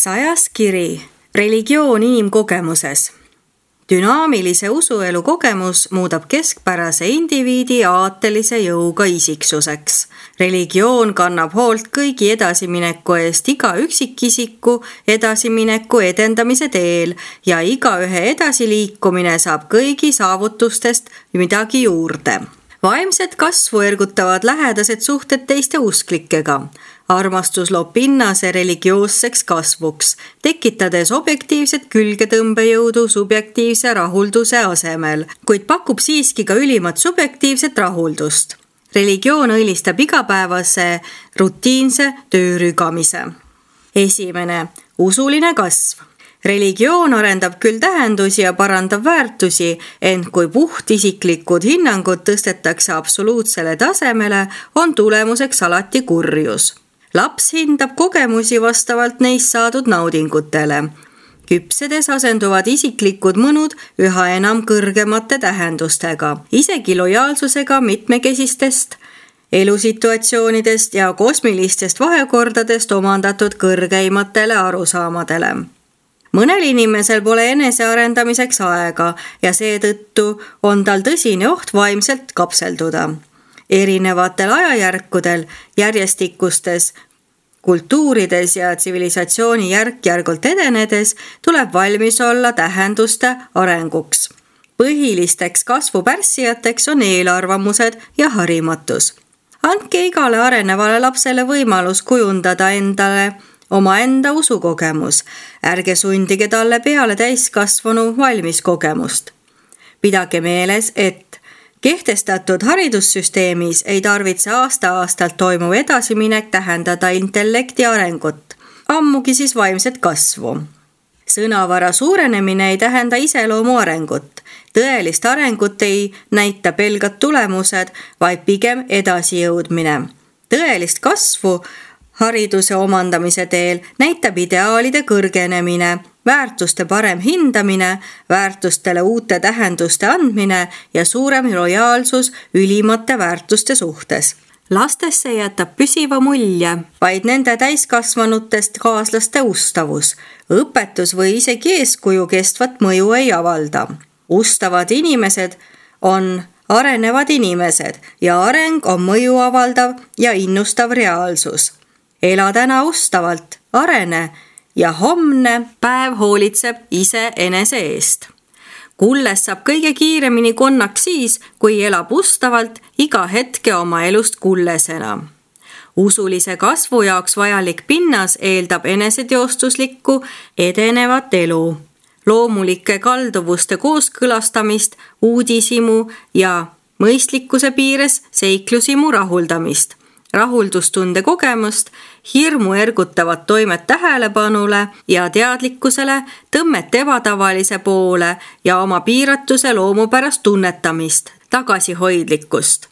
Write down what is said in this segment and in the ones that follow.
100. kiri. Religioon inimkogemuses. Dünaamilise usuelu kogemus muudab keskpärase indiviidi aatelise jõuga isiksuseks. Religioon kannab hoolt kõigi edasimineku eest iga üksikisiku edasimineku edendamise teel ja igaühe edasiliikumine saab kõigi saavutustest midagi juurde. Vaimset kasvu ergutavad lähedased suhted teiste usklikega. Armastus loob pinnase religioosseks kasvuks, tekitades objektiivset külgetõmbejõudu subjektiivse rahulduse asemel, kuid pakub siiski ka ülimat subjektiivset rahuldust. Religioon õilistab igapäevase rutiinse töörügamise. 1. Usuline kasv. Religioon arendab küll tähendusi ja parandab väärtusi, ent kui puhtisiklikud hinnangud tõstetakse absoluutsele tasemele, on tulemuseks alati kurjus. Laps hindab kogemusi vastavalt neist saadud naudingutele. Küpsedes asenduvad isiklikud mõnud üha enam kõrgemate tähendustega, isegi lojaalsusega mitmekesistest elusituatsioonidest ja kosmilistest vahekordadest omandatud kõrgeimatele arusaamadele. Mõnel inimesel pole enesearendamiseks aega ja seetõttu on tal tõsine oht vaimselt kapselduda. Erinevatel ajajärkudel, järjestikustes kultuurides ja tsivilisatsiooni järk-järgult edenedes tuleb valmis olla tähenduste arenguks. Põhilisteks kasvupärssijateks on eelarvamused ja harimatus. Andke igale arenevale lapsele võimalus kujundada endale omaenda usukogemus. Ärge sundige talle peale täiskasvanu valmiskogemust. Pidage meeles, et kehtestatud haridussüsteemis ei tarvitse aasta-aastalt toimuv edasiminek tähendada intellekti arengut, ammugi siis vaimset kasvu. Sõnavara suurenemine ei tähenda iseloomu arengut. Tõelist arengut ei näita pelgad tulemused, vaid pigem edasijõudmine. Tõelist kasvu hariduse omandamise teel näitab ideaalide kõrgenemine, väärtuste parem hindamine, väärtustele uute tähenduste andmine ja suurem lojaalsus ülimate väärtuste suhtes. Lastesse jätab püsiva mulje vaid nende täiskasvanutest kaaslaste ustavus. Õpetus või isegi eeskuju kestvat mõju ei avalda. Ustavad inimesed on arenevad inimesed ja areng on mõju avaldav ja innustav reaalsus. Ela täna ustavalt, arene ja homne päev hoolitseb ise enese eest. Kulles saab kõige kiiremini konnaks siis, kui elab ustavalt iga hetke oma elust kullesena. Usulise kasvu jaoks vajalik pinnas eeldab eneseteostuslikku edenevat elu, loomulike kalduvuste kooskõlastamist, uudishimu ja mõistlikkuse piires seiklusimu rahuldamist. Rahuldustunde kogemust, hirmu ergutavat toimet tähelepanule ja teadlikkusele, tõmmet ebatavalise poole ja oma piiratuse loomupärast tunnetamist, tagasihoidlikkust.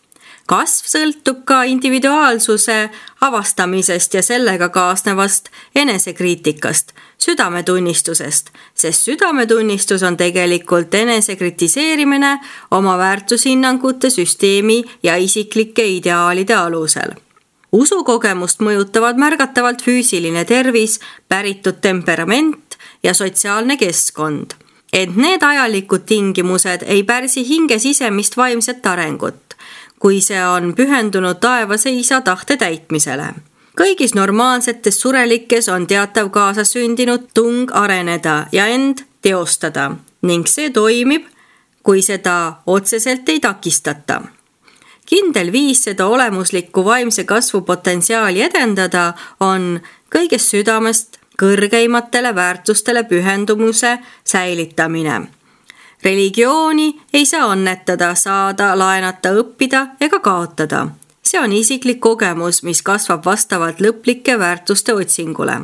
Kasv sõltub ka individuaalsuse avastamisest ja sellega kaasnevast enesekriitikast, südametunnistusest, sest südametunnistus on tegelikult enesekritiseerimine oma väärtushinnangute süsteemi ja isiklike ideaalide alusel. Usukogemust mõjutavad märgatavalt füüsiline tervis, päritud temperament ja sotsiaalne keskkond. Ent need ajalikud tingimused ei pärsi hinge sisemist vaimset arengut, kui see on pühendunud taevase isa tahte täitmisele. Kõigis normaalsetes surelikes on teatav kaasasündinud tung areneda ja end teostada ning see toimib, kui seda otseselt ei takistata. Kindel viis seda olemuslikku vaimse kasvu potentsiaali edendada on kõigest südamest kõrgeimatele väärtustele pühendumuse säilitamine. Religiooni ei saa annetada, saada, laenata, õppida ega kaotada. See on isiklik kogemus, mis kasvab vastavalt lõplike väärtuste otsingule.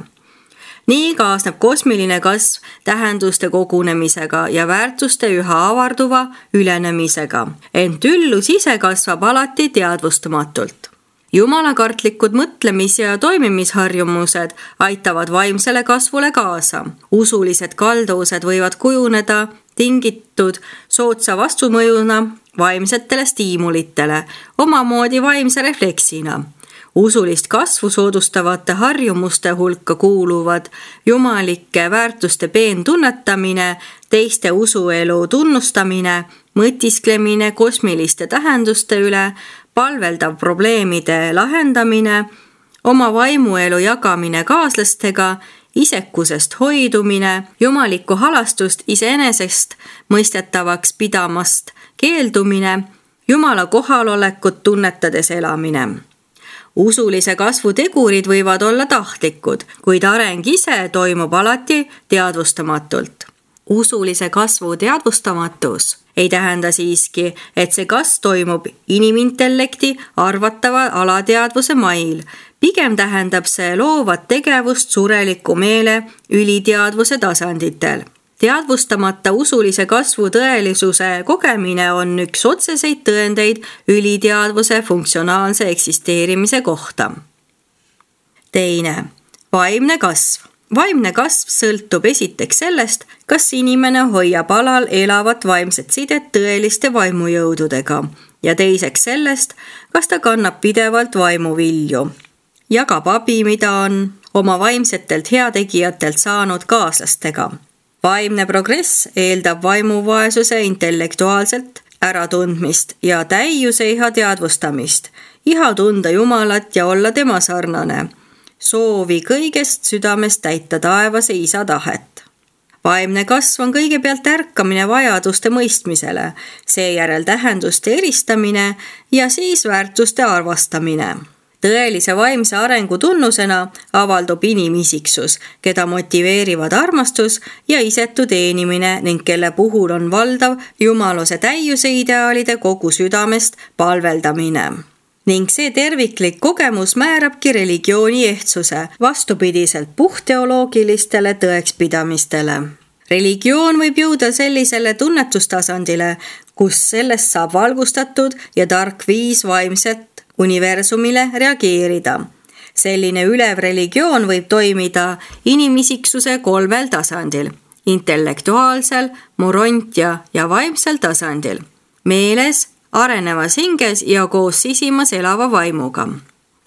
Nii kaasneb kosmiline kasv tähenduste kogunemisega ja väärtuste üha avarduva ülenemisega. Ent üllus ise kasvab alati teadvustamatult. Jumalakartlikud mõtlemis- ja toimimisharjumused aitavad vaimsele kasvule kaasa. Usulised kalduvused võivad kujuneda tingitud soodsa vastumõjuna vaimsetele stiimulitele, omamoodi vaimse refleksina. Usulist kasvu soodustavate harjumuste hulka kuuluvad jumalike väärtuste peentunnetamine, teiste usuelu tunnustamine, mõtisklemine kosmiliste tähenduste üle, palveldav probleemide lahendamine, oma vaimuelu jagamine kaaslastega, isekusest hoidumine, jumalikku halastust iseenesest mõistetavaks pidamast keeldumine, Jumala kohalolekut tunnetades elamine. Usulise kasvu tegurid võivad olla tahtlikud, kuid areng ise toimub alati teadvustamatult. Usulise kasvu teadvustamatus ei tähenda siiski, et see kasv toimub inimintellekti arvatava alateadvuse mail. Pigem tähendab see loovat tegevust sureliku meele üliteadvuse tasanditel. Teadvustamata usulise kasvu tõelisuse kogemine on üks otseseid tõendeid üliteadvuse funktsionaalse eksisteerimise kohta. Teine, vaimne kasv. Vaimne kasv sõltub esiteks sellest, kas inimene hoiab alal elavat vaimset sidet tõeliste vaimujõududega ja teiseks sellest, kas ta kannab pidevalt vaimuvilju. Jagab abi, mida on oma vaimsetelt heategijatelt saanud kaaslastega. Vaimne progress eeldab vaimuvaesuse intellektuaalselt äratundmist ja täiuse iha teadvustamist, iha tunda Jumalat ja olla tema sarnane, soovi kõigest südamest täita taevase isa tahet. Vaimne kasv on kõigepealt ärkamine vajaduste mõistmisele, seejärel tähenduste eristamine ja siis väärtuste arvastamine. Tõelise vaimse arengu tunnusena avaldub inimisiksus, keda motiveerivad armastus ja isetu teenimine ning kelle puhul on valdav jumaluse täiuse ideaalide kogu südamest palveldamine. Ning see terviklik kogemus määrabki religiooni ehtsuse vastupidiselt puhtteoloogilistele tõekspidamistele. Religioon võib jõuda sellisele tunnetustasandile, kus sellest saab valgustatud ja tark viis vaimset universumile reageerida. Selline ülev religioon võib toimida inimisiksuse kolmel tasandil, intellektuaalsel, morontia ja vaimsel tasandil, meeles, arenevas hinges ja koos sisimas elava vaimuga.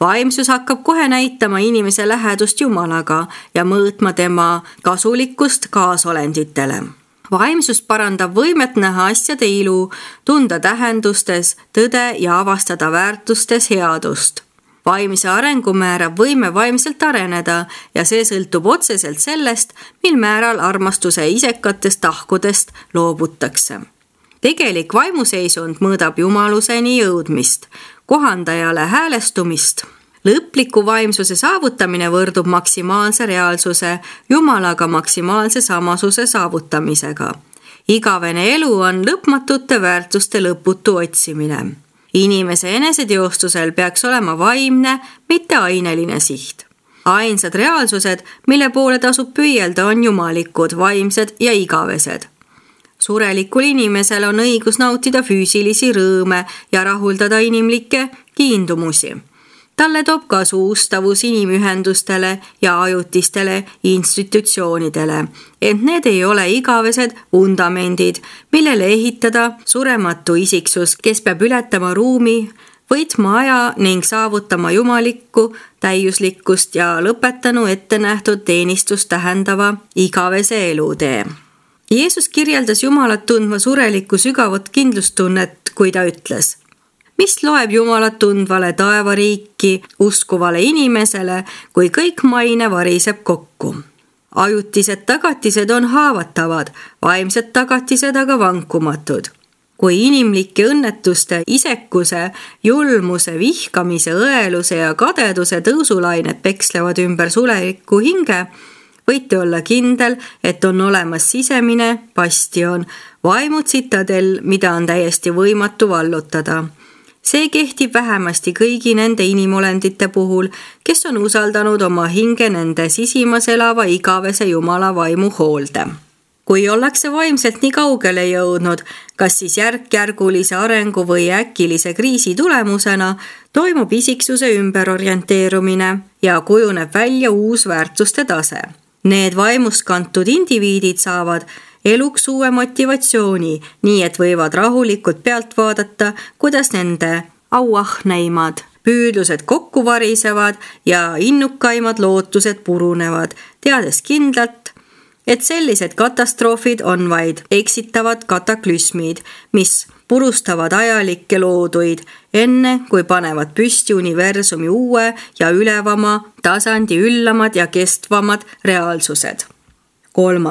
Vaimsus hakkab kohe näitama inimese lähedust Jumalaga ja mõõtma tema kasulikkust kaasolenditele. Vaimsus parandab võimet näha asjade ilu, tunda tähendustes tõde ja avastada väärtustes headust. Vaimse arengu määrab võime vaimselt areneda ja see sõltub otseselt sellest, mil määral armastuse isekatest tahkudest loobutakse. Tegelik vaimuseisund mõõdab jumaluseni jõudmist, kohandajale häälestumist. Lõpliku vaimsuse saavutamine võrdub maksimaalse reaalsuse Jumalaga maksimaalse samasuse saavutamisega. Igavene elu on lõpmatute väärtuste lõputu otsimine. Inimese eneseteostusel peaks olema vaimne, mitte aineline siht. Ainsad reaalsused, mille poole tasub püüelda, on jumalikud, vaimsed ja igavesed. Surelikul inimesel on õigus nautida füüsilisi rõõme ja rahuldada inimlikke kiindumusi. Talle toob kasu ustavus inimühendustele ja ajutistele institutsioonidele, ent need ei ole igavesed vundamendid, millele ehitada surematu isiksus, kes peab ületama ruumi, võitma aja ning saavutama jumalikku täiuslikkust ja lõpetanu ettenähtud teenistust tähendava igavese elutee. Jeesus kirjeldas Jumalat tundva surelikku sügavat kindlustunnet, kui ta ütles: mis loeb Jumalat tundvale taevariiki uskuvale inimesele, kui kõik maine variseb kokku? Ajutised tagatised on haavatavad, vaimsed tagatised aga vankumatud. Kui inimlike õnnetuste, isekuse, julmuse, vihkamise, õeluse ja kadeduse tõusulained pekslevad ümber sulelikku hinge, võite olla kindel, et on olemas sisemine bastion, vaimu tsitadel, mida on täiesti võimatu vallutada. See kehtib vähemasti kõigi nende inimolendite puhul, kes on usaldanud oma hinge nende sisimas elava igavese Jumala vaimu hoolde. Kui ollakse vaimselt nii kaugele jõudnud, kas siis järk-järgulise arengu või äkilise kriisi tulemusena, toimub isiksuse ümberorienteerumine ja kujuneb välja uus väärtuste tase. Need vaimust kantud indiviidid saavad eluks uue motivatsiooni, nii et võivad rahulikult pealt vaadata, kuidas nende auahneimad püüdlused kokku varisevad ja innukaimad lootused purunevad, teades kindlalt, et sellised katastroofid on vaid eksitavad kataklüsmid, mis purustavad ajalikke looduid, enne kui panevad püsti universumi uue ja ülevama tasandi üllamad ja kestvamad reaalsused. 3.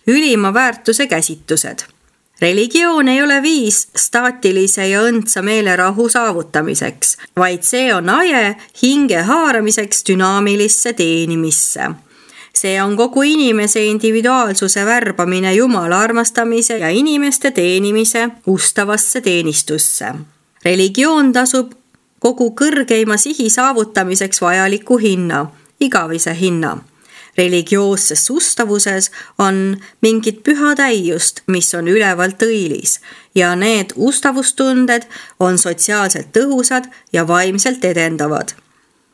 Ülima väärtuse käsitused. Religioon ei ole viis staatilise ja õndsa meelerahu saavutamiseks, vaid see on aje hinge haaramiseks dünaamilisse teenimisse. See on kogu inimese individuaalsuse värbamine Jumala armastamise ja inimeste teenimise ustavasse teenistusse. Religioon tasub kogu kõrgeima sihi saavutamiseks vajaliku hinna, igavese hinna. Religioosses ustavuses on mingit püha täiust, mis on ülevalt õilis ja need ustavustunded on sotsiaalselt tõhusad ja vaimselt edendavad.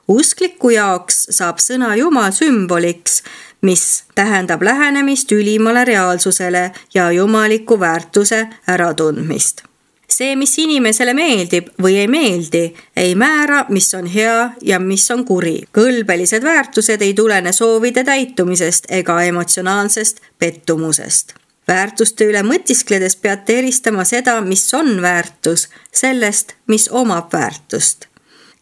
Uskliku jaoks saab sõna Jumal sümboliks, mis tähendab lähenemist ülimale reaalsusele ja jumaliku väärtuse äratundmist. See, mis inimesele meeldib või ei meeldi, ei määra, mis on hea ja mis on kuri. Kõlbelised väärtused ei tulene soovide täitumisest ega emotsionaalsest pettumusest. Väärtuste üle mõtiskledes peate eristama seda, mis on väärtus, sellest, mis omab väärtust.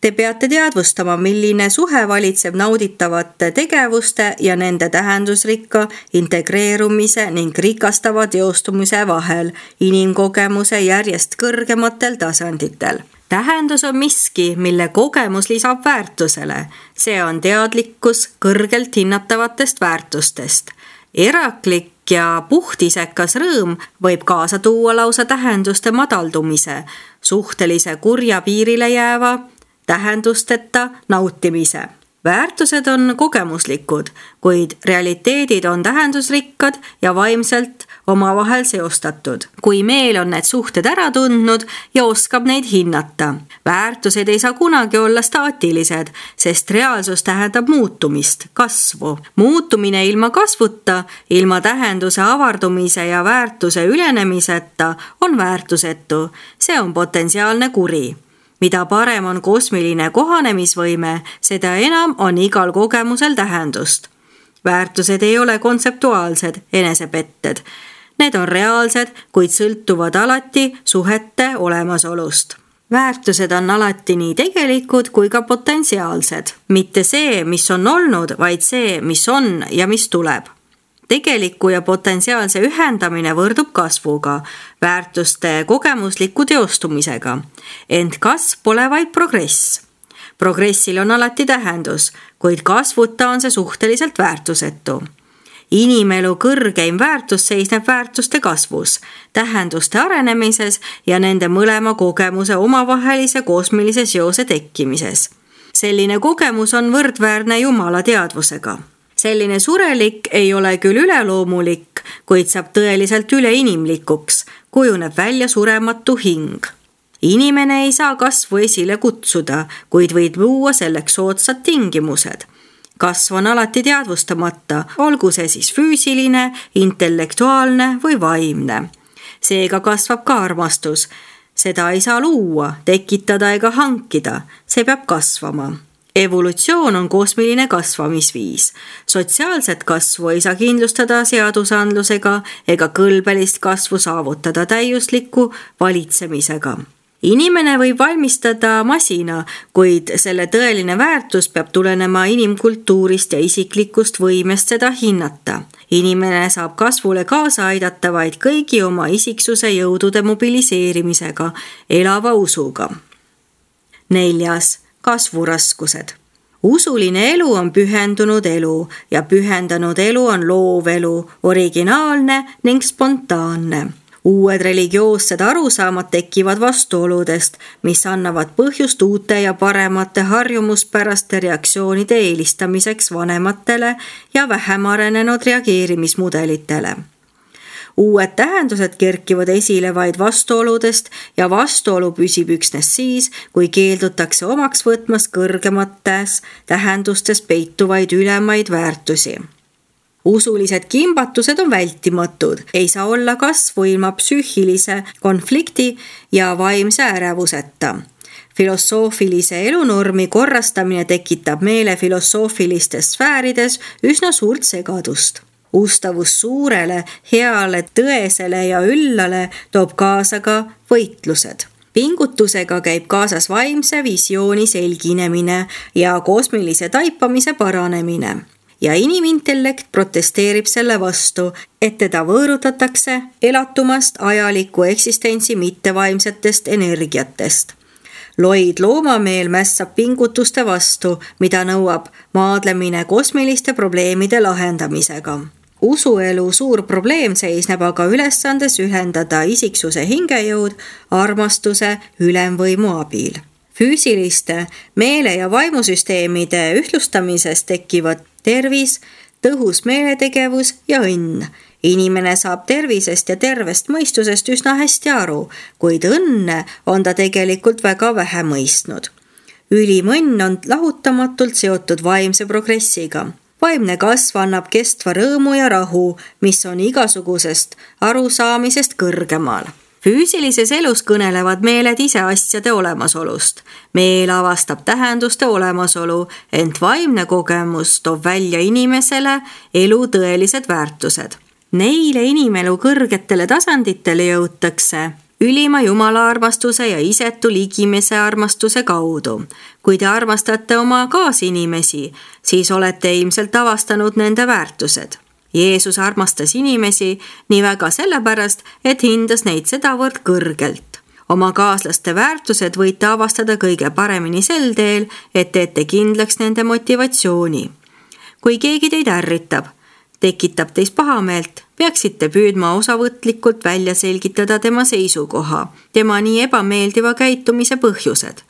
Te peate teadvustama, milline suhe valitseb nauditavate tegevuste ja nende tähendusrikka integreerumise ning rikastava teostumise vahel inimkogemuse järjest kõrgematel tasanditel. Tähendus on miski, mille kogemus lisab väärtusele. See on teadlikkus kõrgelt hinnatavatest väärtustest. Eraklik ja puhtisekas rõõm võib kaasa tuua lausa tähenduste madaldumise, suhtelise kurja piirile jääva tähendusteta nautimise. Väärtused on kogemuslikud, kuid realiteedid on tähendusrikkad ja vaimselt omavahel seostatud. Kui meel on need suhted ära tundnud ja oskab neid hinnata. Väärtused ei saa kunagi olla staatilised, sest reaalsus tähendab muutumist, kasvu. Muutumine ilma kasvuta, ilma tähenduse avardumise ja väärtuse ülenemiseta on väärtusetu. See on potentsiaalne kuri. Mida parem on kosmiline kohanemisvõime, seda enam on igal kogemusel tähendust. Väärtused ei ole kontseptuaalsed enesepetted. Need on reaalsed, kuid sõltuvad alati suhete olemasolust. Väärtused on alati nii tegelikud kui ka potentsiaalsed. Mitte see, mis on olnud, vaid see, mis on ja mis tuleb. Tegeliku ja potentsiaalse ühendamine võrdub kasvuga, väärtuste kogemusliku teostumisega. Ent kasv pole vaid progress. Progressil on alati tähendus, kuid kasvuta on see suhteliselt väärtusetu. Inimelu kõrgeim väärtus seisneb väärtuste kasvus, tähenduste arenemises ja nende mõlema kogemuse omavahelise kosmilise seose tekkimises. Selline kogemus on võrdväärne Jumala teadvusega. Selline surelik ei ole küll üleloomulik, kuid saab tõeliselt üleinimlikuks, kujuneb välja surematu hing. Inimene ei saa kasvu esile kutsuda, kuid võid luua selleks soodsad tingimused. Kasv on alati teadvustamata, olgu see siis füüsiline, intellektuaalne või vaimne. Seega kasvab ka armastus. Seda ei saa luua, tekitada ega hankida, see peab kasvama. Evolutsioon on kosmiline kasvamisviis. Sotsiaalset kasvu ei saa kindlustada seadusandlusega ega kõlbelist kasvu saavutada täiusliku valitsemisega. Inimene võib valmistada masina, kuid selle tõeline väärtus peab tulenema inimkultuurist ja isiklikust võimest seda hinnata. Inimene saab kasvule kaasa aidata vaid kõigi oma isiksuse jõudude mobiliseerimisega, elava usuga. 4. Kasvuraskused. Usuline elu on pühendunud elu ja pühendanud elu on loov elu, originaalne ning spontaanne. Uued religioossed arusaamad tekivad vastuoludest, mis annavad põhjust uute ja paremate harjumuspäraste reaktsioonide eelistamiseks vanematele ja vähem arenenud reageerimismudelitele. Uued tähendused kerkivad esile vaid vastuoludest ja vastuolu püsib üksnes siis, kui keeldutakse omaks võtmas kõrgemates tähendustes peituvaid ülemaid väärtusi. Usulised kimbatused on vältimatud, ei saa olla kasvu ilma psüühilise konflikti ja vaimse ärevuseta. Filosoofilise elunormi korrastamine tekitab meele filosoofilistes sfäärides üsna suurt segadust. Ustavus suurele, heale, tõesele ja üllale toob kaasa ka võitlused. Pingutusega käib kaasas vaimse visiooni selginemine ja kosmilise taipamise paranemine. Ja inimintellekt protesteerib selle vastu, et teda võõrutatakse elatumast ajaliku eksistentsi mittevaimsetest energiatest. Loid loomameel mässab pingutuste vastu, mida nõuab maadlemine kosmiliste probleemide lahendamisega. Usuelu suur probleem seisneb aga ülesandes ühendada isiksuse hingejõud armastuse ülemvõimu abil. Füüsiliste meele- ja vaimusüsteemide ühtlustamises tekivad tervis, tõhus meeletegevus ja õnn. Inimene saab tervisest ja tervest mõistusest üsna hästi aru, kuid õnne on ta tegelikult väga vähe mõistnud. Ülim õnn on lahutamatult seotud vaimse progressiga. Vaimne kasv annab kestva rõõmu ja rahu, mis on igasugusest arusaamisest kõrgemal. Füüsilises elus kõnelevad meeled ise asjade olemasolust. Meel avastab tähenduste olemasolu, ent vaimne kogemus toob välja inimesele elu tõelised väärtused. Neile inimelu kõrgetele tasanditele jõutakse ülima jumala armastuse ja isetu ligimese armastuse kaudu. Kui te armastate oma kaasinimesi, siis olete ilmselt avastanud nende väärtused. Jeesus armastas inimesi nii väga sellepärast, et hindas neid sedavõrd kõrgelt. Oma kaaslaste väärtused võite avastada kõige paremini sel teel, et teete kindlaks nende motivatsiooni. Kui keegi teid ärritab, tekitab teis pahameelt, peaksite püüdma osavõtlikult välja selgitada tema seisukoha, tema nii ebameeldiva käitumise põhjused.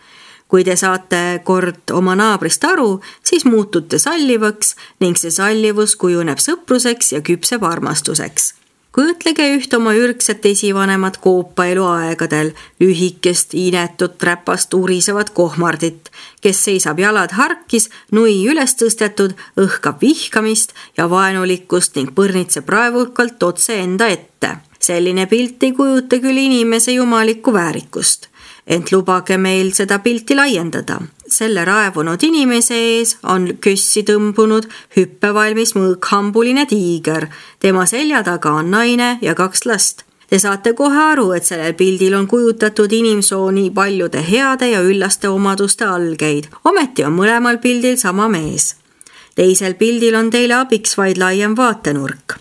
Kui te saate kord oma naabrist aru, siis muutute sallivaks ning see sallivus kujuneb sõpruseks ja küpseb armastuseks. Kujutlege üht oma ürgset esivanemat koopaelu aegadel, lühikest, inetut, räpast, urisevat kohmardit, kes seisab jalad harkis, nui üles tõstetud, õhkab vihkamist ja vaenulikkust ning põrnitseb raevukalt otse enda ette. Selline pilt ei kujuta küll inimese jumalikku väärikust. Ent lubage meil seda pilti laiendada. Selle raevunud inimese ees on kössi tõmbunud hüppevalmis mõõkhambuline tiiger. Tema selja taga on naine ja 2 last. Te saate kohe aru, et sellel pildil on kujutatud inimsooni paljude heade ja üllaste omaduste algeid. Ometi on mõlemal pildil sama mees. Teisel pildil on teile abiks vaid laiem vaatenurk.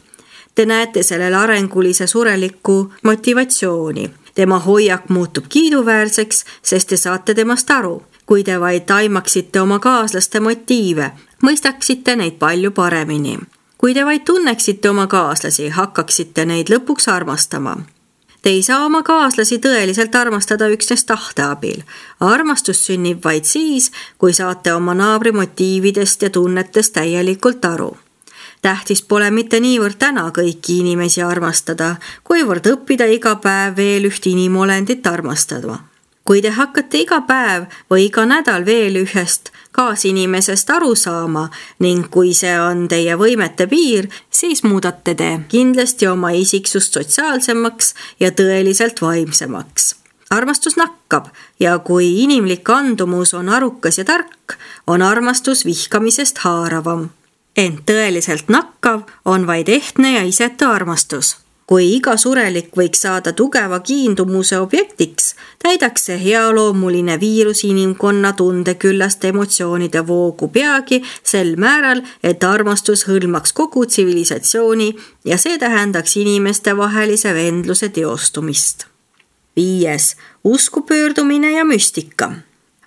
Te näete sellel arengulise sureliku motivatsiooni. Tema hoiak muutub kiiduväärseks, sest te saate temast aru. Kui te vaid taimaksite oma kaaslaste motiive, mõistaksite neid palju paremini. Kui te vaid tunneksite oma kaaslasi, hakkaksite neid lõpuks armastama. Te ei saa oma kaaslasi tõeliselt armastada üksnes tahte abil. Armastus sünnib vaid siis, kui saate oma naabri motiividest ja tunnetest täielikult aru. Tähtis pole mitte niivõrd täna kõiki inimesi armastada, kuivõrd õppida iga päev veel üht inimolendit armastada. Kui te hakkate iga päev või iga nädal veel ühest kaasinimesest aru saama ning kui see on teie võimete piir, siis muudate te kindlasti oma isiksust sotsiaalsemaks ja tõeliselt vaimsemaks. Armastus nakkab ja kui inimlik andumus on arukas ja tark, on armastus vihkamisest haaravam. Ent tõeliselt nakkav on vaid ehtne ja isetu armastus. Kui iga surelik võiks saada tugeva kiindumuse objektiks, täidaks see healoomuline viirus inimkonna tundeküllast emotsioonide voogu peagi sel määral, et armastus hõlmaks kogu tsivilisatsiooni ja see tähendaks inimeste vahelise vendluse teostumist. 5. Usku pöördumine ja müstika.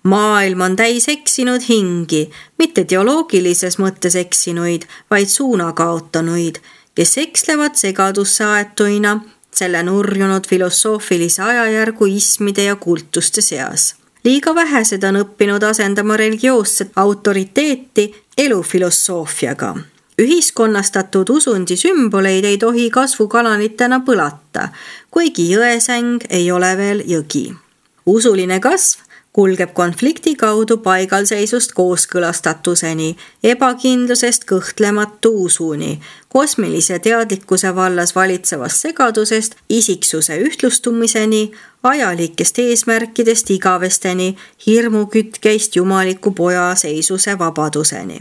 Maailm on täis eksinud hingi, mitte teoloogilises mõttes eksinuid, vaid suuna kaotanuid, kes ekslevad segadusse aetuina selle nurjunud filosoofilise ajajärgu ismide ja kultuste seas. Liiga vähesed on õppinud asendama religioosset autoriteeti elufilosoofiaga. Ühiskonnastatud usundi sümboleid ei tohi kasvukanalitena põlata, kuigi jõesäng ei ole veel jõgi. Usuline kasv kulgeb konflikti kaudu paigalseisust kooskõlastatuseni, ebakindlusest kõhtlematu usuni, kosmilise teadlikkuse vallas valitsevast segadusest isiksuse ühtlustumiseni, ajalikest eesmärkidest igavesteni, hirmukütkeist jumaliku poja seisuse vabaduseni.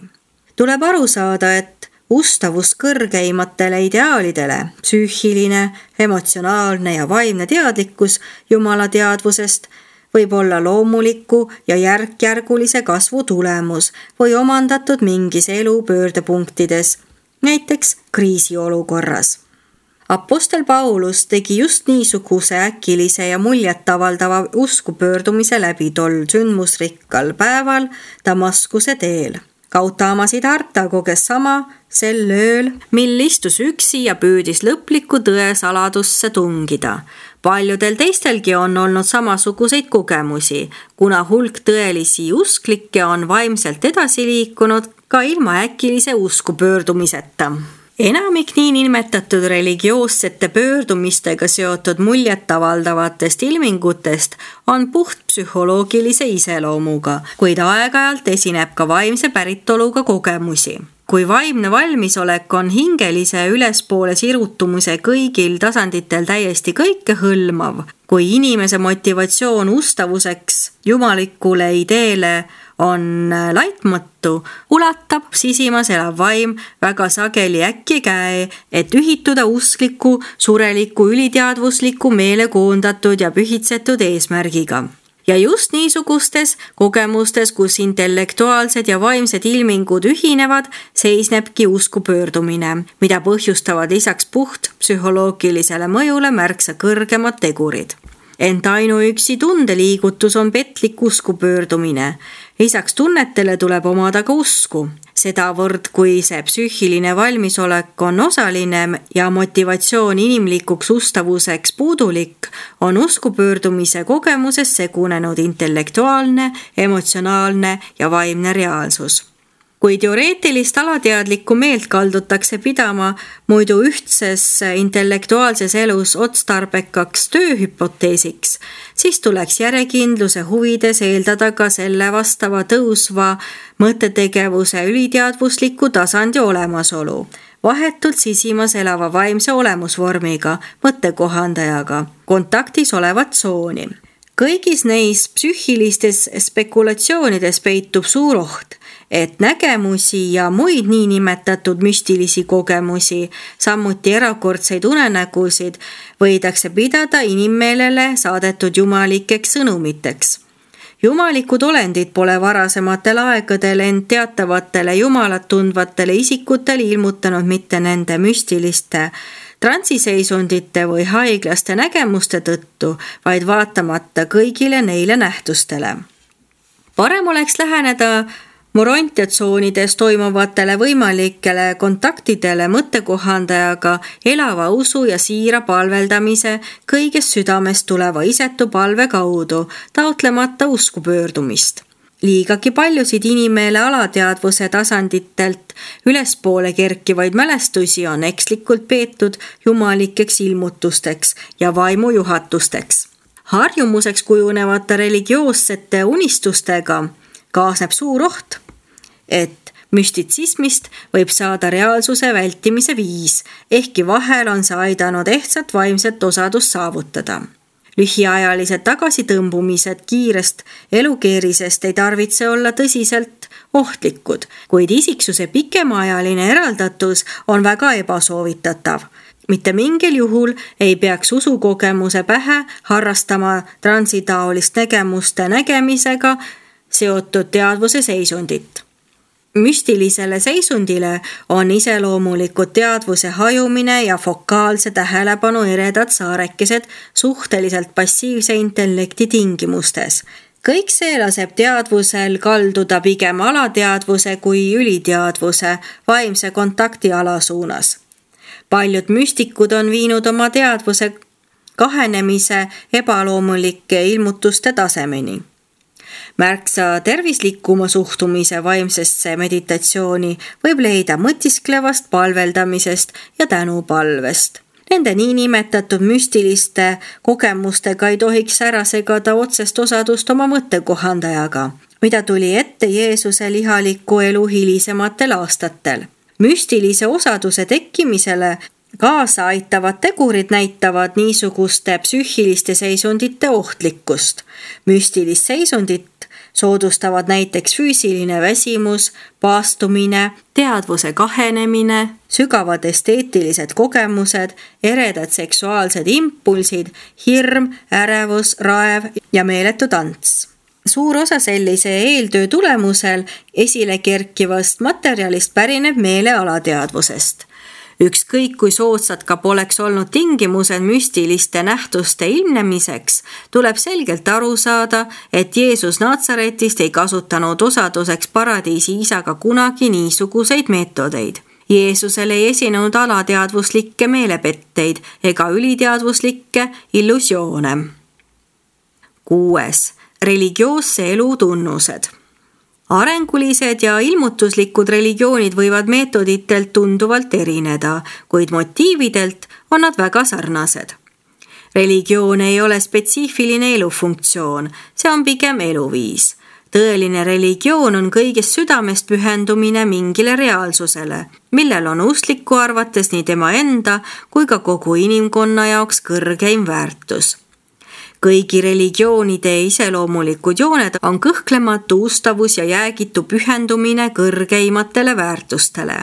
Tuleb aru saada, et ustavus kõrgeimatele ideaalidele, psüühiline, emotsionaalne ja vaimne teadlikkus Jumala teadvusest võib olla loomuliku ja järk-järgulise kasvu tulemus või omandatud mingis elu pöördepunktides, näiteks kriisiolukorras. Apostel Paulus tegi just niisuguse äkilise ja muljetavaldava usku pöördumise läbi tol sündmusrikkal päeval Damaskuse teel. Gautama Siddhartha koges sama sel ööl, mil istus üksi ja püüdis lõplikku tõe saladusse tungida. Paljudel teistelgi on olnud samasuguseid kogemusi, kuna hulk tõelisi usklikke on vaimselt edasi liikunud ka ilma äkilise usku pöördumiseta. Enamik niinimetatud religioossete pöördumistega seotud muljetavaldavatest ilmingutest on puht psühholoogilise iseloomuga, kuid aeg-ajalt esineb ka vaimse päritoluga kogemusi. Kui vaimne valmisolek on hingelise ülespoole sirutumise kõigil tasanditel täiesti kõikehõlmav, kui inimese motivatsioon ustavuseks jumalikule ideele on laitmatu, ulatab sisimas elav vaim väga sageli äkki käe, et ühituda uskliku, sureliku, üliteadvusliku, meelekoondatud ja pühitsetud eesmärgiga. Ja just niisugustes kogemustes, kus intellektuaalsed ja vaimsed ilmingud ühinevad, seisnebki usku pöördumine, mida põhjustavad lisaks puht psühholoogilisele mõjule märksa kõrgemad tegurid. Ent ainuüksi tundeliigutus on petlik usku pöördumine. Lisaks tunnetele tuleb omada ka usku. Sedavõrd, kui see psüühiline valmisolek on osaline ja motivatsioon inimlikuks ustavuseks puudulik, on usku pöördumise kogemuses segunenud intellektuaalne, emotsionaalne ja vaimne reaalsus. Kui teoreetilist alateadlikku meelt kaldutakse pidama muidu ühtses intellektuaalses elus otstarbekaks tööhüpoteesiks, siis tuleks järjekindluse huvides eeldada ka selle vastava tõusva mõttetegevuse üliteadvusliku tasandi olemasolu, vahetult sisimas elava vaimse olemusvormiga, mõttekohandajaga, kontaktis olevat tsooni. Kõigis neis psüühilistes spekulatsioonides peitub suur oht, et nägemusi ja muid niinimetatud müstilisi kogemusi, samuti erakordseid unenägusid, võidakse pidada inimmeelele saadetud jumalikeks sõnumiteks. Jumalikud olendid pole varasematel aegadel end teatavatele jumalat tundvatele isikutele ilmutanud mitte nende müstiliste transiseisundite või haiglaste nägemuste tõttu, vaid vaatamata kõigile neile nähtustele. Parem oleks läheneda morontiatsoonides toimuvatele võimalikele kontaktidele mõttekohandajaga elava usu ja siira palveldamise kõigest südamest tuleva isetu palve kaudu, taotlemata usku pöördumist. Liigagi paljusid inimeele alateadvuse tasanditelt ülespoole kerkivaid mälestusi on ekslikult peetud jumalikeks ilmutusteks ja vaimujuhatusteks. Harjumuseks kujunevate religioossete unistustega kaasneb suur oht, et müstitsismist võib saada reaalsuse vältimise viis, ehkki vahel on see aidanud ehtsat vaimset osadust saavutada. Lühiajalised tagasitõmbumised kiirest elukeerisest ei tarvitse olla tõsiselt ohtlikud, kuid isiksuse pikemaajaline eraldatus on väga ebasoovitatav. Mitte mingil juhul ei peaks usukogemuse pähe harrastama transitaolist nägemuste nägemisega seotud teadvuse seisundit. Müstilisele seisundile on iseloomulikud teadvuse hajumine ja fokaalse tähelepanu eredad saarekesed suhteliselt passiivse intellekti tingimustes. Kõik see laseb teadvusel kalduda pigem alateadvuse kui üliteadvuse vaimse kontakti ala suunas. Paljud müstikud on viinud oma teadvuse kahenemise ebaloomulike ilmutuste tasemeni. Märksa tervislikuma suhtumise vaimsesse meditatsiooni võib leida mõtisklevast palveldamisest ja tänupalvest. Nende niinimetatud müstiliste kogemustega ei tohiks ära segada otsest osadust oma mõttekohandajaga, mida tuli ette Jeesuse ihaliku elu hilisematel aastatel. Müstilise osaduse tekkimisele kaasa aitavad tegurid näitavad niisuguste psüühiliste seisundite ohtlikkust. Müstilist seisundit soodustavad näiteks füüsiline väsimus, paastumine, teadvuse kahenemine, sügavad esteetilised kogemused, eredad seksuaalsed impulsid, hirm, ärevus, raev ja meeletu tants. Suur osa sellise eeltöö tulemusel esile kerkivast materjalist pärineb meele alateadvusest. Ükskõik kui soodsad ka poleks olnud tingimused müstiliste nähtuste ilmnemiseks, tuleb selgelt aru saada, et Jeesus Natsaretist ei kasutanud osaduseks paradiisi isaga kunagi niisuguseid meetodeid. Jeesusel ei esinenud alateadvuslikke meelepetteid ega üliteadvuslikke illusioone. 6. Religioosse elu tunnused. Arengulised ja ilmutuslikud religioonid võivad meetoditelt tunduvalt erineda, kuid motiividelt on nad väga sarnased. Religioon ei ole spetsiifiline elufunktsioon, see on pigem eluviis. Tõeline religioon on kõigest südamest pühendumine mingile reaalsusele, millel on uskliku arvates nii tema enda kui ka kogu inimkonna jaoks kõrgeim väärtus. Kõigi religioonide iseloomulikud jooned on kõhklematu ustavus ja jäägitu pühendumine kõrgeimatele väärtustele.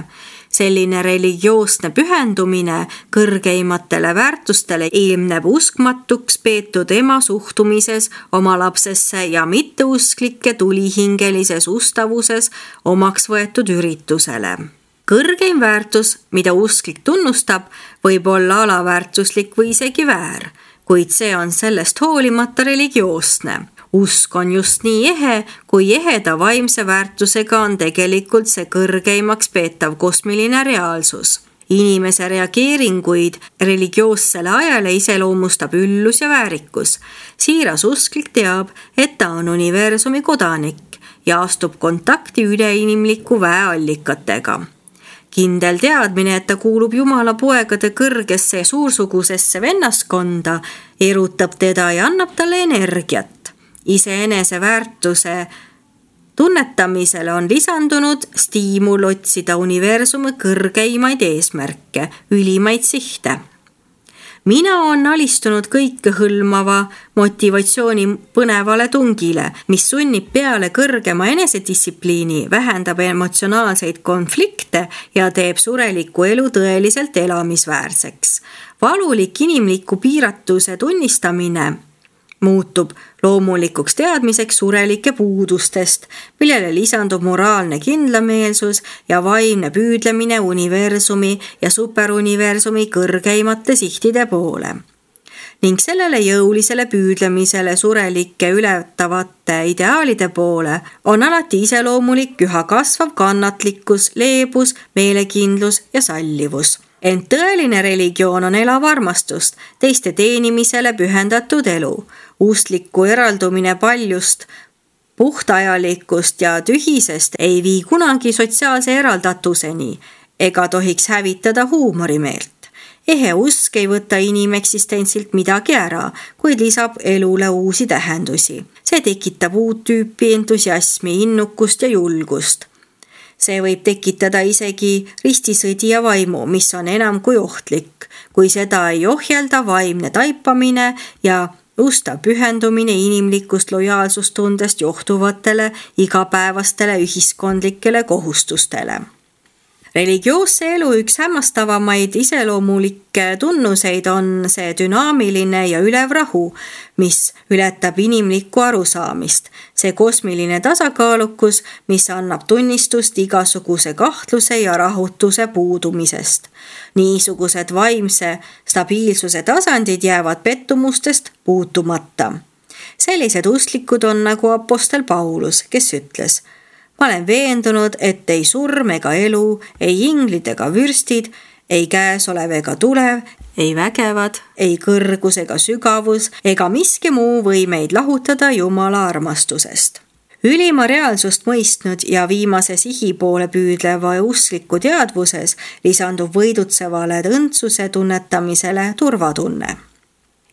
Selline religioosne pühendumine kõrgeimatele väärtustele ilmneb uskmatuks peetud ema suhtumises oma lapsesse ja mitteusklike tulihingelises ustavuses omaks võetud üritusele. Kõrgeim väärtus, mida usklik tunnustab, võib olla alaväärtuslik või isegi väär, kuid see on sellest hoolimata religioosne. Usk on just nii ehe, kui eheda vaimse väärtusega on tegelikult see kõrgeimaks peetav kosmiline reaalsus. Inimese reageeringuid religioossele ajale iseloomustab üllus ja väärikus. Siiras usklik teab, et ta on universumi kodanik ja astub kontakti üleinimliku väeallikatega. Kindel teadmine, et ta kuulub Jumala poegade kõrgesse ja suursugusesse vennaskonda, erutab teda ja annab talle energiat. Iseenese väärtuse tunnetamisele on lisandunud stiimul otsida universumi kõrgeimaid eesmärke, ülimaid sihte. Mina on alistunud kõikehõlmava motivatsiooni põnevale tungile, mis sunnib peale kõrgema enesedistsipliini, vähendab emotsionaalseid konflikte ja teeb sureliku elu tõeliselt elamisväärseks. Valulik inimliku piiratuse tunnistamine muutub loomulikuks teadmiseks surelike puudustest, millele lisandub moraalne kindlameelsus ja vaimne püüdlemine universumi ja superuniversumi kõrgeimate sihtide poole. Ning sellele jõulisele püüdlemisele surelike ületavate ideaalide poole on alati iseloomulik üha kasvav kannatlikkus, leebus, meelekindlus ja sallivus. Ent tõeline religioon on elav armastust, teiste teenimisele pühendatud elu. Uskliku eraldumine paljust, puhtajalikust ja tühisest ei vii kunagi sotsiaalse eraldatuseni ega tohiks hävitada huumorimeelt. Ehe usk ei võta inimeksistentsilt midagi ära, kuid lisab elule uusi tähendusi. See tekitab uut tüüpi entusiasmi, innukust ja julgust. See võib tekitada isegi ristisõdija vaimu, mis on enam kui ohtlik, kui seda ei ohjelda vaimne taipamine ja ustav pühendumine inimlikust lojaalsustundest johtuvatele igapäevastele ühiskondlikele kohustustele. Religioosse elu üks hämmastavamaid iseloomulikke tunnuseid on see dünaamiline ja ülev rahu, mis ületab inimlikku arusaamist. See kosmiline tasakaalukus, mis annab tunnistust igasuguse kahtluse ja rahutuse puudumisest. Niisugused vaimse stabiilsuse tasandid jäävad pettumustest puutumata. Sellised usklikud on nagu apostel Paulus, kes ütles: ma olen veendunud, et ei surm ega elu, ei inglid ega vürstid, ei käesolev ega tulev, ei vägevad, ei kõrgus ega sügavus ega miski muu või meid lahutada Jumala armastusest. Ülima reaalsust mõistnud ja viimase sihi poole püüdleva uskliku teadvuses lisandub võidutsevale õndsuse tunnetamisele turvatunne.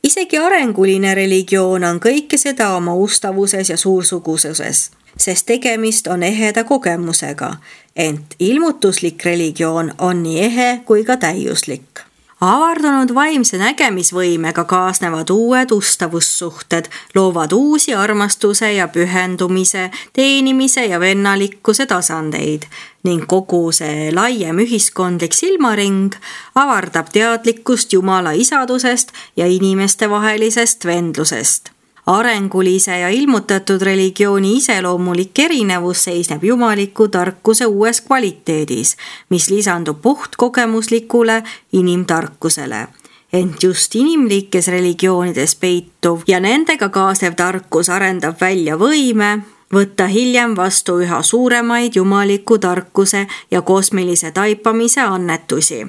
Isegi arenguline religioon on kõike seda oma ustavuses ja suursugususes, sest tegemist on eheda kogemusega, ent ilmutuslik religioon on nii ehe kui ka täiuslik. Avardunud vaimse nägemisvõimega kaasnevad uued ustavussuhted, loovad uusi armastuse ja pühendumise, teenimise ja vennalikkuse tasandeid ning kogu see laiem ühiskondlik silmaring avardab teadlikkust Jumala isadusest ja inimestevahelisest vendlusest. Arengulise ja ilmutatud religiooni iseloomulik erinevus seisneb jumaliku tarkuse uues kvaliteedis, mis lisandub puhtkogemuslikule inimtarkusele. Ent just inimlikes religioonides peituv ja nendega kaasnev tarkus arendab välja võime võtta hiljem vastu üha suuremaid jumaliku tarkuse ja kosmilise taipamise annetusi.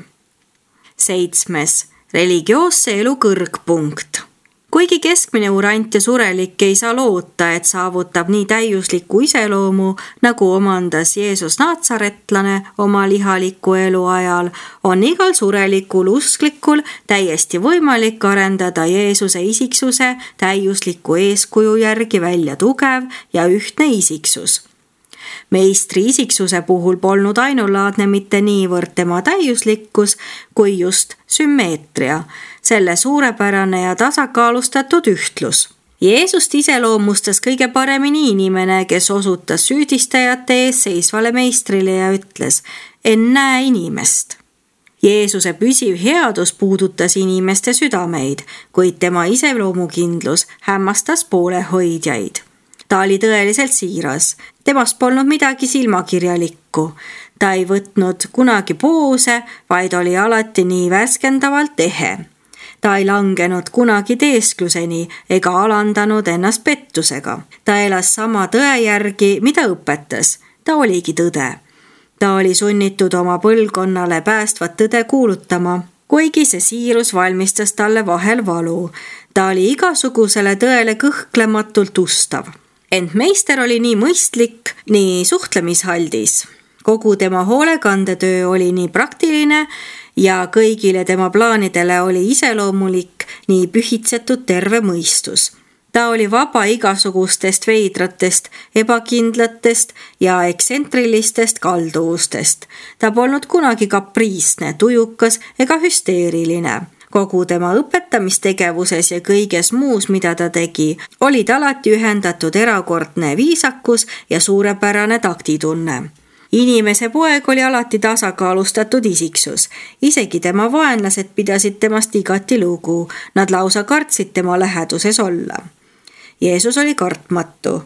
7. Religioosse elu kõrgpunkt. Kuigi keskmine urant ja surelik ei saa loota, et saavutab nii täiusliku iseloomu, nagu omandas Jeesus Naatsaretlane oma lihaliku elu ajal, on igal surelikul usklikul täiesti võimalik arendada Jeesuse isiksuse täiusliku eeskuju järgi välja tugev ja ühtne isiksus. Meistri isiksuse puhul polnud ainulaadne mitte niivõrd tema täiuslikkus, kui just sümmeetria, selle suurepärane ja tasakaalustatud ühtlus. Jeesust iseloomustas kõige paremini inimene, kes osutas süüdistajate ees seisvale meistrile ja ütles, ennäe inimest. Jeesuse püsiv headus puudutas inimeste südameid, kuid tema iseloomukindlus hämmastas poolehoidjaid. Ta oli tõeliselt siiras. Temast polnud midagi silmakirjalikku. Ta ei võtnud kunagi poose, vaid oli alati nii värskendavalt ehe. Ta ei langenud kunagi teeskluseni ega alandanud ennast pettusega. Ta elas sama tõe järgi, mida õpetas. Ta oligi tõde. Ta oli sunnitud oma põlvkonnale päästvat tõde kuulutama, kuigi see siirus valmistas talle vahel valu. Ta oli igasugusele tõele kõhklematult ustav. Ent meister oli nii mõistlik, nii suhtlemishaldis. Kogu tema hoolekandetöö oli nii praktiline ja kõigile tema plaanidele oli iseloomulik nii pühitsetud terve mõistus. Ta oli vaba igasugustest veidratest, ebakindlatest ja ekstsentrilistest kalduvustest. Ta polnud kunagi kapriisne, tujukas ega hüsteeriline. Kogu tema õpetamistegevuses ja kõiges muus, mida ta tegi, olid alati ühendatud erakordne viisakus ja suurepärane taktitunne. Inimese poeg oli alati tasakaalustatud isiksus. Isegi tema vaenlased pidasid temast igati lugu. Nad lausa kartsid tema läheduses olla. Jeesus oli kartmatu.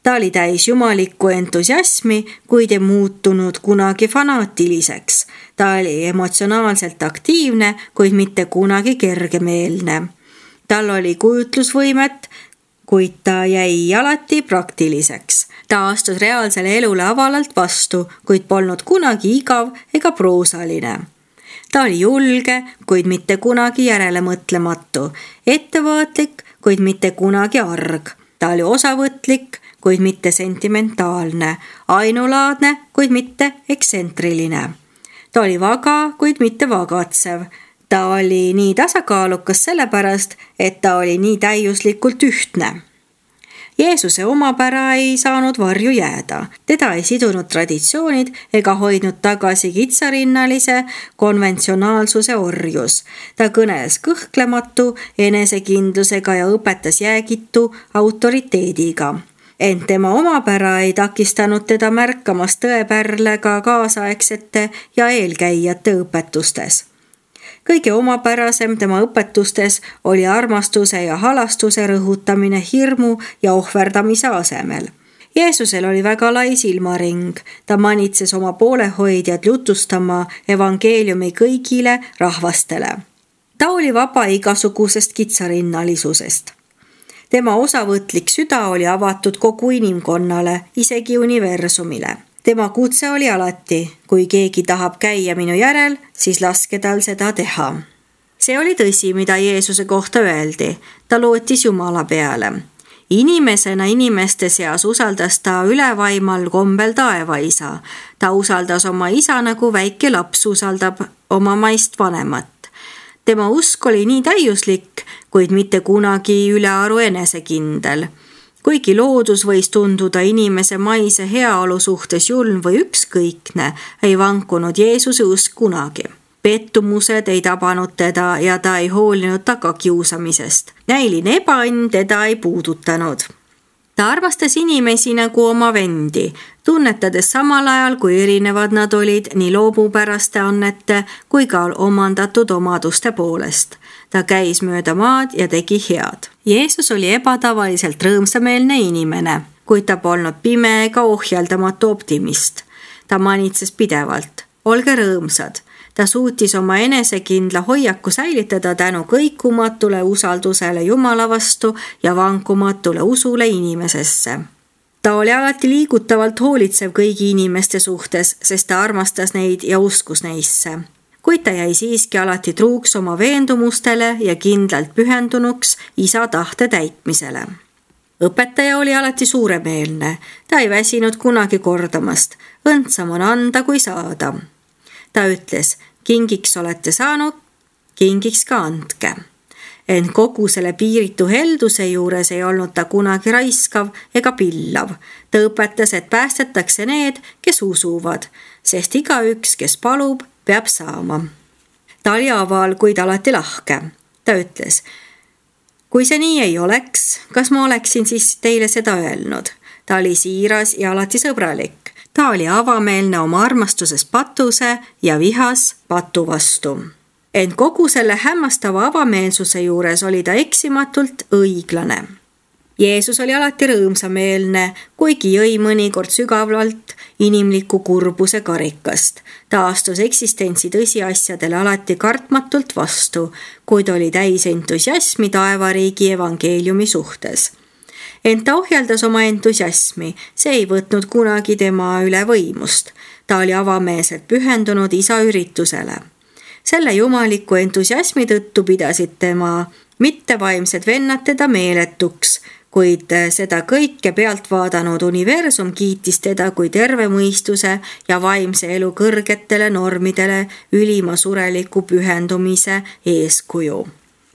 Ta oli täis jumalikku entusiasmi, kuid ei muutunud kunagi fanaatiliseks. Ta oli emotsionaalselt aktiivne, kuid mitte kunagi kergemeelne. Tal oli kujutlusvõimet, kuid ta jäi alati praktiliseks. Ta astus reaalsele elule avalalt vastu, kuid polnud kunagi igav ega proosaline. Ta oli julge, kuid mitte kunagi järelemõtlematu. Ettevaatlik, kuid mitte kunagi arg. Ta oli osavõtlik, kuid mitte sentimentaalne, ainulaadne, kuid mitte ekstsentriline. Ta oli vaga, kuid mitte vagatsev. Ta oli nii tasakaalukas sellepärast, et ta oli nii täiuslikult ühtne. Jeesuse omapära ei saanud varju jääda. Teda ei sidunud traditsioonid ega hoidnud tagasi kitsarinnalise konventsionaalsuse orjus. Ta kõneles kõhklematu enesekindlusega ja õpetas jäägitu autoriteediga. Ent tema omapära ei takistanud teda märkamast tõepärlega kaasaegsete ja eelkäijate õpetustes. Kõige omapärasem tema õpetustes oli armastuse ja halastuse rõhutamine hirmu ja ohverdamise asemel. Jeesusel oli väga lai silmaring. Ta manitses oma poolehoidjad jutustama evangeeliumi kõigile rahvastele. Ta oli vaba igasugusest kitsarinnalisusest. Tema osavõtlik süda oli avatud kogu inimkonnale, isegi universumile. Tema kutse oli alati, kui keegi tahab käia minu järel, siis laske tal seda teha. See oli tõsi, mida Jeesuse kohta öeldi. Ta lootis Jumala peale. Inimesena inimeste seas usaldas ta ülevaimal kombel taevaisa. Ta usaldas oma isa nagu väike laps usaldab oma maist vanemat. Tema usk oli nii täiuslik, kuid mitte kunagi ülearu enesekindel. Kuigi loodus võis tunduda inimese maise heaolu suhtes julm või ükskõikne, ei vankunud Jeesuse usk kunagi. Pettumused ei tabanud teda ja ta ei hoolinud tagakiusamisest. Näiline ebaõnn teda ei puudutanud. Ta armastas inimesi nagu oma vendi, tunnetades samal ajal, kui erinevad nad olid nii loomupäraste annete kui ka omandatud omaduste poolest. Ta käis mööda maad ja tegi head. Jeesus oli ebatavaliselt rõõmsameelne inimene, kuid ta polnud pime ega ohjeldamatu optimist. Ta manitses pidevalt. Olge rõõmsad. Ta suutis oma enesekindla hoiaku säilitada tänu kõikumatule usaldusele Jumala vastu ja vankumatule usule inimesesse. Ta oli alati liigutavalt hoolitsev kõigi inimeste suhtes, sest ta armastas neid ja uskus neisse. Kuid ta jäi siiski alati truuks oma veendumustele ja kindlalt pühendunuks isa tahte täitmisele. Õpetaja oli alati suuremeelne. Ta ei väsinud kunagi kordamast. Õndsam on anda kui saada. Ta ütles, kingiks olete saanud, kingiks ka andke. Ent kogu selle piiritu helduse juures ei olnud ta kunagi raiskav ega pillav. Ta õpetas, et päästetakse need, kes usuvad, sest igaüks, kes palub, peab saama. Ta oli aval, kuid alati lahke. Ta ütles, kui see nii ei oleks, kas ma oleksin siis teile seda öelnud? Ta oli siiras ja alati sõbralik. Ta oli avameelne oma armastuses patuse ja vihas patu vastu. Ent kogu selle hämmastava avameelsuse juures oli ta eksimatult õiglane. Jeesus oli alati rõõmsameelne, kuigi jõi mõnikord sügavalt inimliku kurbuse karikast. Ta astus eksistentsi tõsiasjadele alati kartmatult vastu, kuid oli täis entusiasmi taevariigi evangeeliumi suhtes. Ent ta ohjeldas oma entusiasmi, see ei võtnud kunagi tema üle võimust. Ta oli avameelselt pühendunud isa üritusele. Selle jumaliku entusiasmi tõttu pidasid tema mittevaimsed vennad teda meeletuks, kuid seda kõike pealt vaadanud universum kiitis teda kui terve mõistuse ja vaimse elu kõrgetele normidele ülima sureliku pühendumise eeskuju.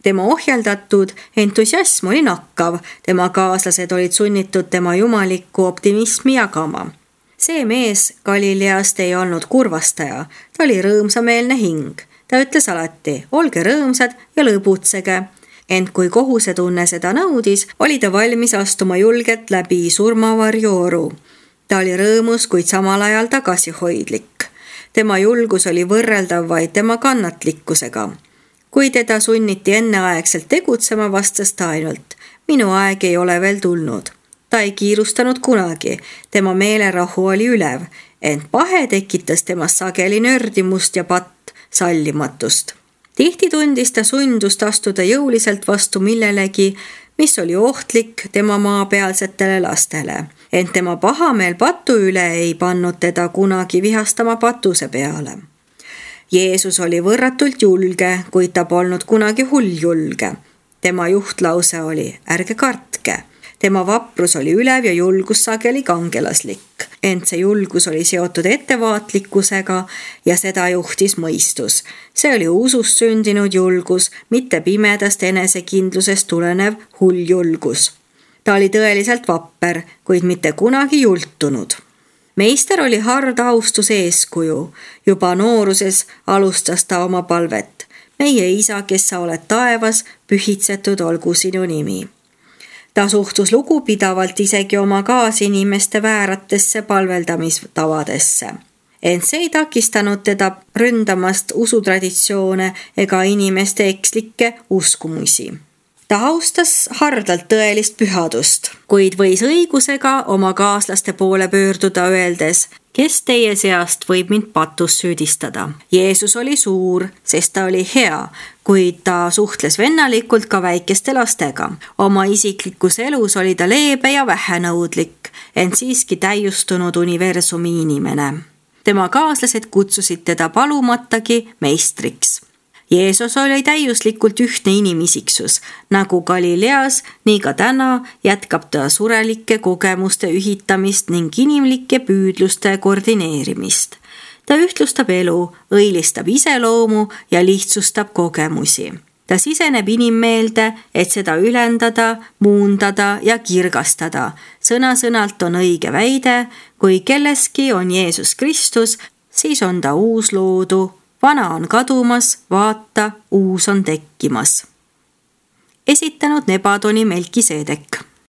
Tema ohjeldatud entusiasm oli nakkav, tema kaaslased olid sunnitud tema jumalikku optimismi jagama. See mees Galileast ei olnud kurvastaja, ta oli rõõmsameelne hing. Ta ütles alati, olge rõõmsad ja lõbutsege. Ent kui kohusetunne seda nõudis, oli ta valmis astuma julgelt läbi surmavarjooru. Ta oli rõõmus, kuid samal ajal tagasihoidlik. Tema julgus oli võrreldav vaid tema kannatlikkusega. Kui teda sunniti enneaegselt tegutsema, vastas ta ainult, minu aeg ei ole veel tulnud. Ta ei kiirustanud kunagi, tema meelerahu oli ülev, ent pahe tekitas temas sageli nördimust ja patt sallimatust. Tihti tundis ta sundust astuda jõuliselt vastu millelegi, mis oli ohtlik tema maapealsetele lastele. Ent tema pahameel patu üle ei pannud teda kunagi vihastama patuse peale. Jeesus oli võrratult julge, kuid ta polnud kunagi hulljulge. Tema juhtlause oli, ärge kartke. Tema vaprus oli ülev ja julgus sageli kangelaslik. Ent see julgus oli seotud ettevaatlikkusega ja seda juhtis mõistus. See oli usust sündinud julgus, mitte pimedast enesekindlusest tulenev hulljulgus. Ta oli tõeliselt vapper, kuid mitte kunagi jultunud. Meister oli hard austuse eeskuju. Juba nooruses alustas ta oma palvet. Meie isa, kes sa oled taevas, pühitsetud olgu sinu nimi. Ta suhtus lugupidavalt isegi oma kaasinimeste vääratesse palveldamistavadesse. Ent see ei takistanud teda ründamast usutraditsioone ega inimeste ekslikke uskumusi. Ta austas hardalt tõelist pühadust, kuid võis õigusega oma kaaslaste poole pöörduda öeldes, kes teie seast võib mind patus süüdistada. Jeesus oli suur, sest ta oli hea, kuid ta suhtles vennalikult ka väikeste lastega. Oma isiklikus elus oli ta leebe ja vähenõudlik, ent siiski täiustunud universumi inimene. Tema kaaslased kutsusid teda palumatagi meistriks. Jeesus oli täiuslikult ühtne inimisiksus, nagu Galileas, nii ka täna jätkab ta surelike kogemuste ühitamist ning inimlike püüdluste koordineerimist. Ta ühtlustab elu, õilistab iseloomu ja lihtsustab kogemusi. Ta siseneb inimmeelde, et seda ülendada, muundada ja kirgastada. Sõna-sõnalt on õige väide, kui kelleski on Jeesus Kristus, siis on ta uusloodu. Vana on kadumas, vaata, uus on tekkimas. Esitanud Nebadoni Melkiseedek.